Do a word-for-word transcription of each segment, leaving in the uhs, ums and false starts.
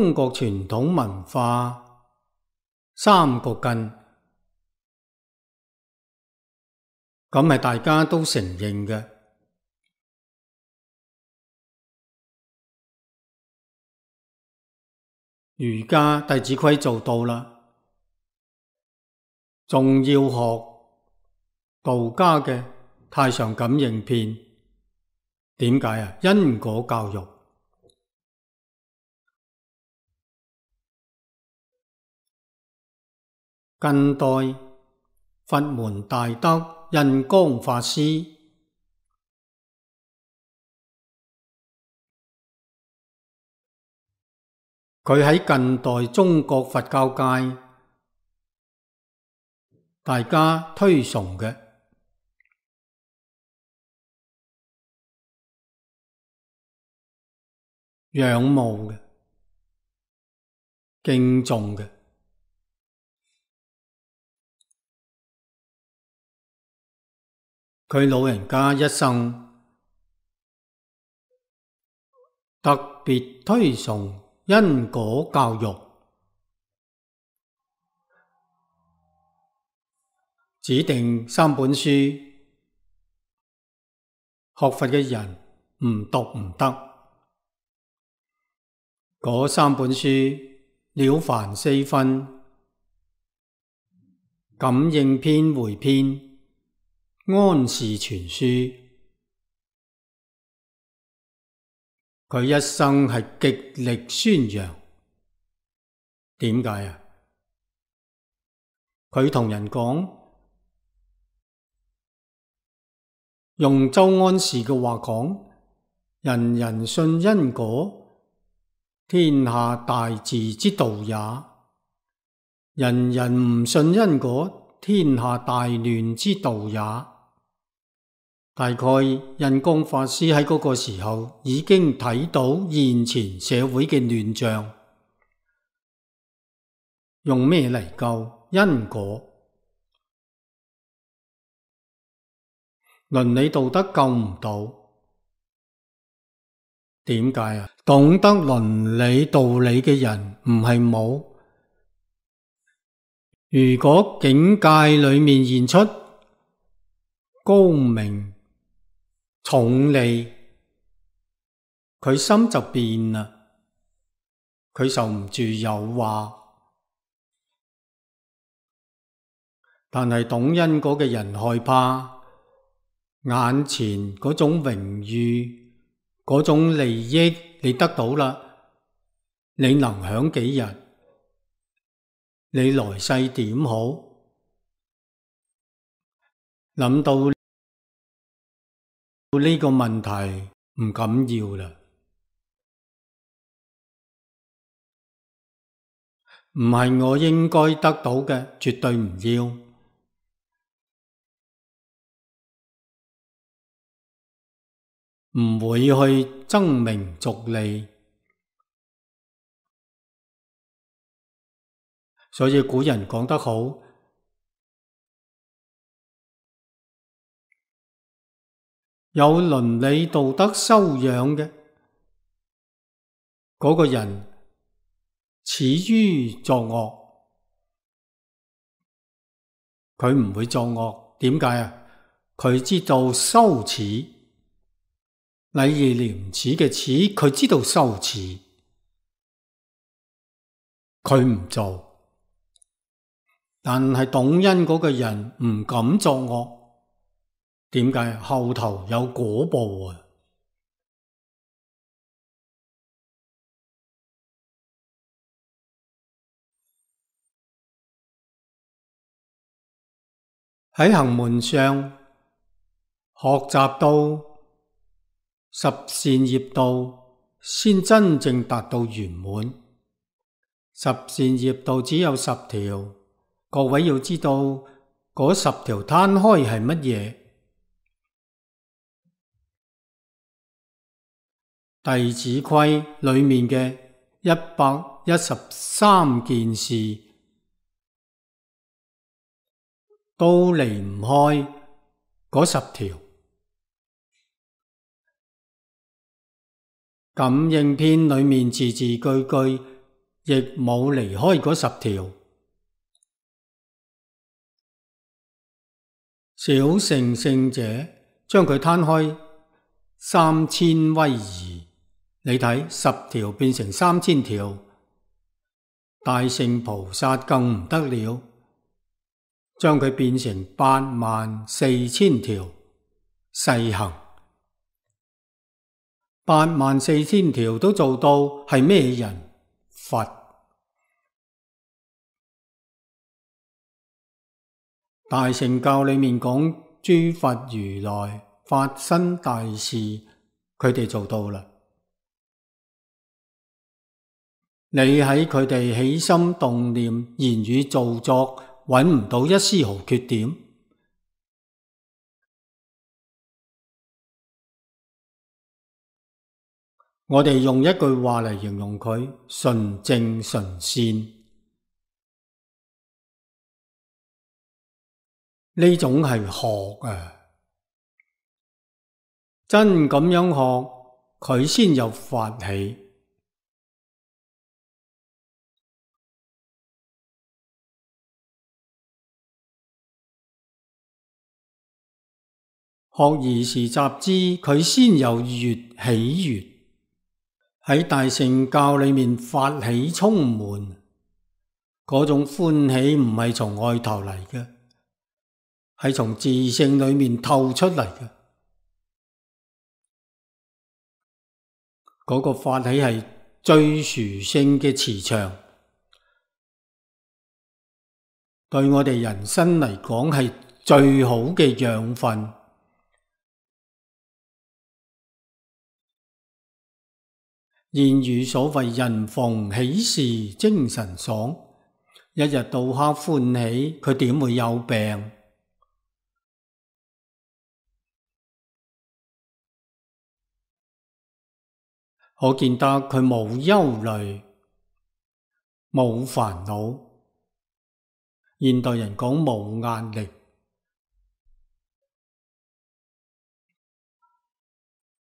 中國傳統文化三個根，咁係大家都承認嘅。儒家《弟子規》做到啦，仲要學道家嘅《太上感應篇》。點解啊？因果教育。近代佛門大德印光法師，佢喺近代中國佛教界大家推崇嘅、仰慕嘅、敬重嘅。佢老人家一生特別推崇因果教育，指定三本書，學佛嘅人唔讀唔得。嗰三本書了凡四訓、感應篇回篇、安氏全書，佢一生係極力宣揚。點解啊？佢同人講，用周安氏嘅話講，人人信因果，天下大治之道也；人人唔信因果，天下大亂之道也。大概印光法師喺嗰個時候已經睇到現前社會嘅亂象，用咩嚟救？因果。倫理道德救唔到。點解啊？懂得倫理道理嘅人唔係冇。如果境界裏面現出高明重利，佢心就變啦，佢受唔住誘惑。但係懂因果嘅人害怕眼前嗰種榮譽、嗰種利益，你得到啦，你能享幾日？你來世點好？諗到呢個問題唔敢要啦，唔係我應該得到嘅，絕對唔要，唔會去爭名逐利。所以古人講得好，有倫理道德修養嘅嗰個人，始於作惡，佢唔會作惡。點解啊？佢知道羞恥，禮義廉恥嘅恥，佢知道羞恥，佢唔做。但係懂因果嘅人唔敢作惡。點解？後頭有果報啊！喺行門上學習到十善業道，先真正達到圓滿。十善業道只有十條，各位要知道嗰十條攤開係乜嘢？弟子規裏面嘅一百一十三件事，都離唔開嗰十條。感應篇裏面字字句句亦冇離開嗰十條。小乘聖者將佢攤開三千威儀，你睇十條變成三千條。大乘菩薩更唔得了，將佢變成八萬四千條細行。八萬四千條都做到，係咩人？佛。大乘教裏面講諸佛如來發生大事，佢哋做到啦。你喺佢哋起心動念、言語造作，揾唔到一絲毫缺點。我哋用一句話嚟形容佢：純正純善。呢種係學啊，真咁樣學，佢先有法喜。學而時習之，佢先有悅喜悅。喺大乘教裏面，法喜充滿，嗰種歡喜唔係從外頭嚟嘅，係從自性裏面透出嚟嘅。嗰個法喜係最殊勝嘅磁場，對我哋人生嚟講係最好嘅養分。諺語所謂人逢喜事精神爽，一日到黑歡喜，佢點會有病？可見得佢冇憂慮，冇煩惱。現代人講冇壓力，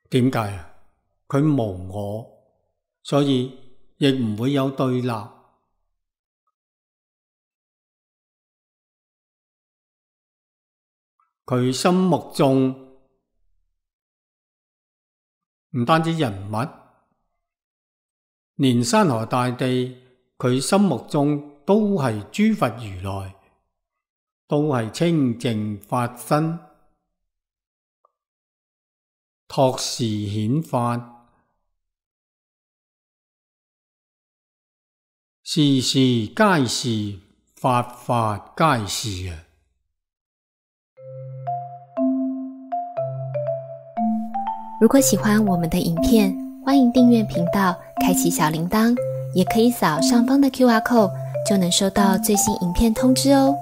點解啊？佢無我。所以亦唔會有對立。佢心目中唔單止人物，連山河大地，佢心目中都係諸佛如來，都係清淨法身，託示顯法。事事皆是，法法皆是啊！如果喜歡我們的影片，歡迎訂閱頻道，開啟小鈴鐺，也可以掃上方的 Q R code，就能收到最新影片通知哦。